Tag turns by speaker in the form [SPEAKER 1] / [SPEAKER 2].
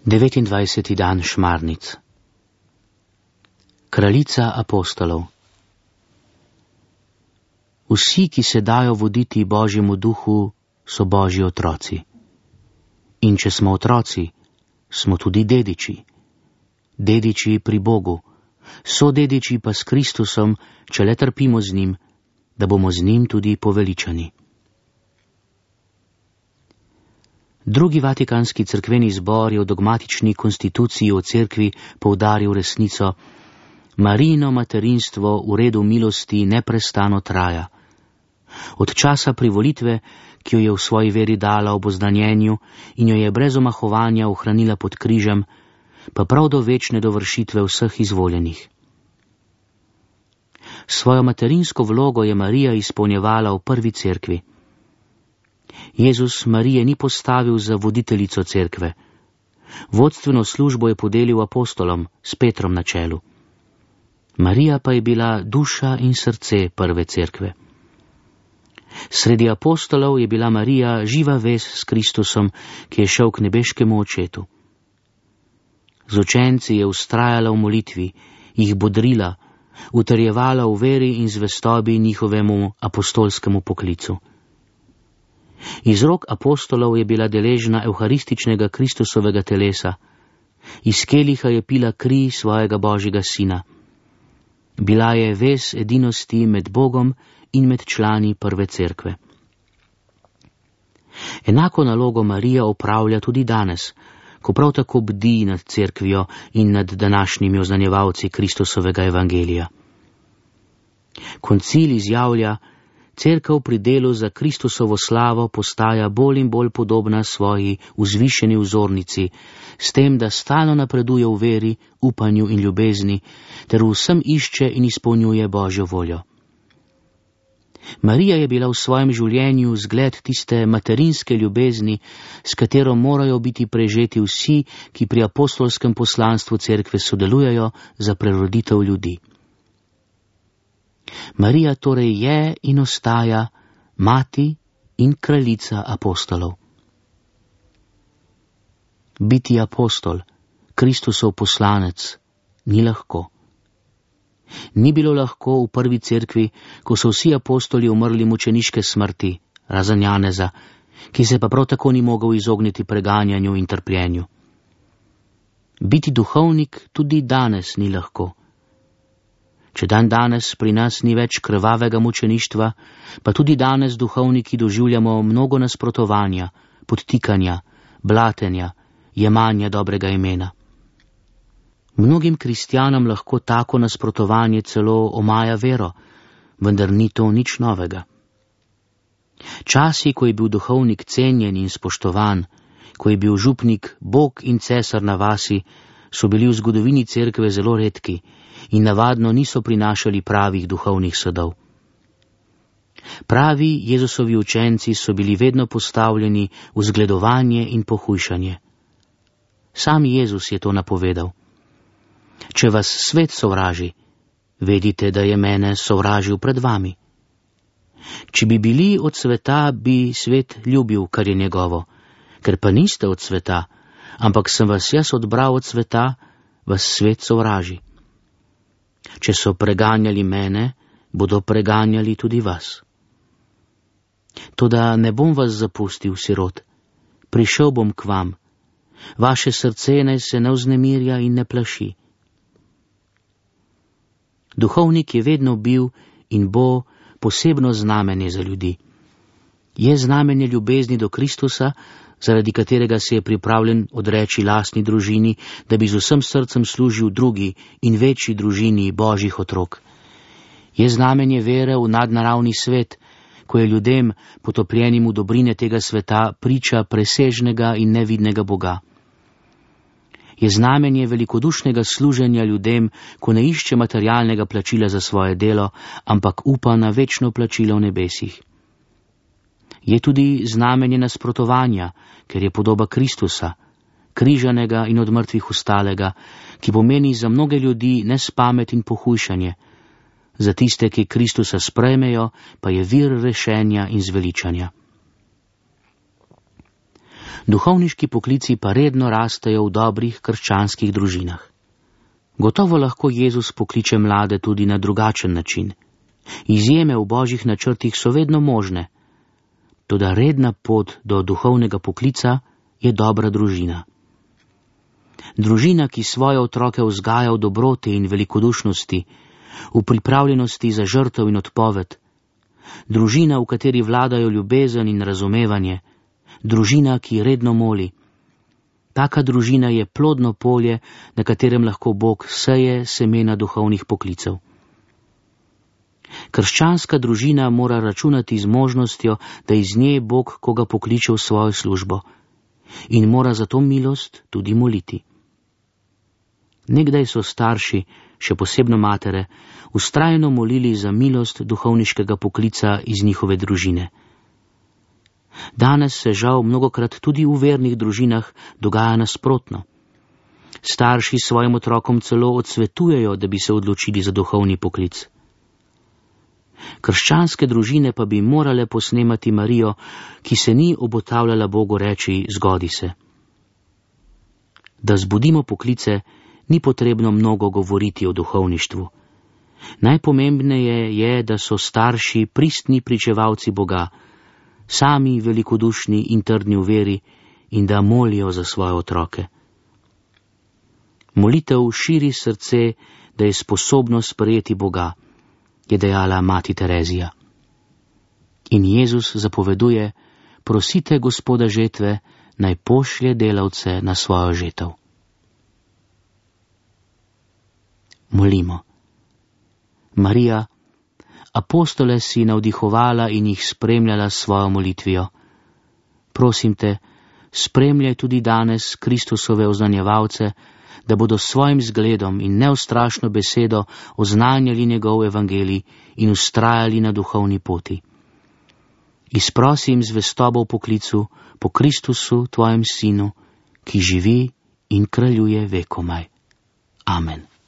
[SPEAKER 1] 29. dan Šmarnic. Kraljica apostolov. Vsi, ki se dajo voditi Božjemu duhu, so Božji otroci. In če smo otroci, smo tudi dediči. Dediči pri Bogu, sodediči pa s Kristusom, če le trpimo z njim, da bomo z njim tudi poveličani. Drugi vatikanski cerkveni zbor je v dogmatični konstituciji o cerkvi poudaril resnico: Marijino materinstvo v redu milosti neprestano traja. Od časa privolitve, ki jo je v svoji veri dala ob oznanjenju in jo je brez omahovanja ohranila pod križem, pa prav do večne dovršitve vseh izvoljenih. Svojo materinsko vlogo je Marija izpolnjevala v prvi cerkvi. Jezus Marije ni postavil za voditeljico cerkve. Vodstveno službo je podelil apostolom s Petrom na čelu. Marija pa je bila duša in srce prve cerkve. Sredi apostolov je bila Marija živa vez s Kristusom, ki je šel k nebeškemu očetu. Z učenci je vztrajala v molitvi, jih bodrila, utrjevala v veri in zvestobi njihovemu apostolskemu poklicu. Iz rok apostolov je bila deležna evharističnega Kristusovega telesa, iz keliha je pila kri svojega Božjega sina. Bila je vez edinosti med Bogom in med člani prve cerkve. Enako nalogo Marija opravlja tudi danes, ko prav tako bdi nad cerkvijo in nad današnjimi oznanjevalci Kristusovega evangelija. Koncil izjavlja: Cerkev pri delu za Kristusovo slavo postaja bolj in bolj podobna svoji vzvišeni vzornici, s tem, da stalno napreduje v veri, upanju in ljubezni, ter vsem išče in izpolnjuje Božjo voljo. Marija je bila v svojem življenju zgled tiste materinske ljubezni, s katero morajo biti prežeti vsi, ki pri apostolskem poslanstvu cerkve sodelujejo za preroditev ljudi. Marija torej je in ostaja mati in kraljica apostolov. Biti apostol, Kristusov poslanec, ni lahko. Ni bilo lahko v prvi cerkvi, ko so vsi apostoli umrli mučeniške smrti, razen Janeza, ki se pa prav tako ni mogel izogniti preganjanju in trpljenju. Biti duhovnik tudi danes ni lahko. Če danes pri nas ni več krvavega mučeništva, pa tudi danes duhovniki doživljamo mnogo nasprotovanja, podtikanja, blatenja, jemanja dobrega imena. Mnogim kristjanom lahko tako nasprotovanje celo omaja vero, vendar ni to nič novega. Časi, ko je bil duhovnik cenjen in spoštovan, ko je bil župnik Bog in cesar na vasi, so bili v zgodovini cerkve zelo redki in navadno niso prinašali pravih duhovnih sadov. Pravi Jezusovi učenci so bili vedno postavljeni v zgledovanje in pohujšanje. Sam Jezus je to napovedal. Če vas svet sovraži, vedite, da je mene sovražil pred vami. Če bi bili od sveta, bi svet ljubil, kar je njegovo. Ker pa niste od sveta, ampak sem vas jaz odbral od sveta, vas svet sovraži. Če so preganjali mene, bodo preganjali tudi vas. Toda ne bom vas zapustil, sirot. Prišel bom k vam. Vaše srce naj se ne vznemirja in ne plaši. Duhovnik je vedno bil in bo posebno znamenje za ljudi. Je znamenje ljubezni do Kristusa, zaradi katerega se je pripravljen odreči lastni družini, da bi z vsem srcem služil drugi in večji družini Božjih otrok. Je znamenje vere v nadnaravni svet, ko je ljudem, potopljenim v dobrine tega sveta, priča presežnega in nevidnega Boga. Je znamenje velikodušnega služenja ljudem, ko ne išče materialnega plačila za svoje delo, ampak upa na večno plačilo v nebesih. Je tudi znamenje nasprotovanja, ker je podoba Kristusa, križanega in od mrtvih vstalega, ki pomeni za mnoge ljudi nespamet in pohujšanje, za tiste, ki Kristusa sprejmejo, pa je vir rešenja in zveličanja. Duhovniški poklici pa redno rastejo v dobrih krščanskih družinah. Gotovo lahko Jezus pokliče mlade tudi na drugačen način. Izjeme v božjih načrtih so vedno možne, toda redna pot do duhovnega poklica je dobra družina. Družina, ki svoje otroke vzgaja v dobroti in velikodušnosti, v pripravljenosti za žrtev in odpoved, družina, v kateri vladajo ljubezen in razumevanje, družina, ki redno moli. Taka družina je plodno polje, na katerem lahko Bog seje semena duhovnih poklicev. Krščanska družina mora računati z možnostjo, da iz nje Bog koga pokliče v svojo službo in mora za to milost tudi moliti. Nekdaj so starši, še posebno matere, vztrajno molili za milost duhovniškega poklica iz njihove družine. Danes se žal mnogokrat tudi v vernih družinah dogaja nasprotno. Starši svojim otrokom celo odsvetujejo, da bi se odločili za duhovni poklic. Krščanske družine pa bi morale posnemati Marijo, ki se ni obotavljala Bogu reči: zgodi se. Da zbudimo poklice, ni potrebno mnogo govoriti o duhovništvu. Najpomembneje je, da so starši pristni pričevalci Boga, sami velikodušni in trdni v veri in da molijo za svoje otroke. Molitev širi srce, da je sposobno sprejeti Boga, je dejala mati Terezija. In Jezus zapoveduje: prosite Gospoda žetve, naj pošlje delavce na svojo žetev. Molimo. Marija, apostole si navdihovala in jih spremljala s svojo molitvijo. Prosim te, spremljaj tudi danes Kristusove oznanjevalce, da bodo s svojim zgledom in neustrašno besedo oznanjali njegov evangelij in vztrajali na duhovni poti. Izprosim zvestobo v poklicu po Kristusu, tvojem sinu, ki živi in kraljuje vekomaj. Amen.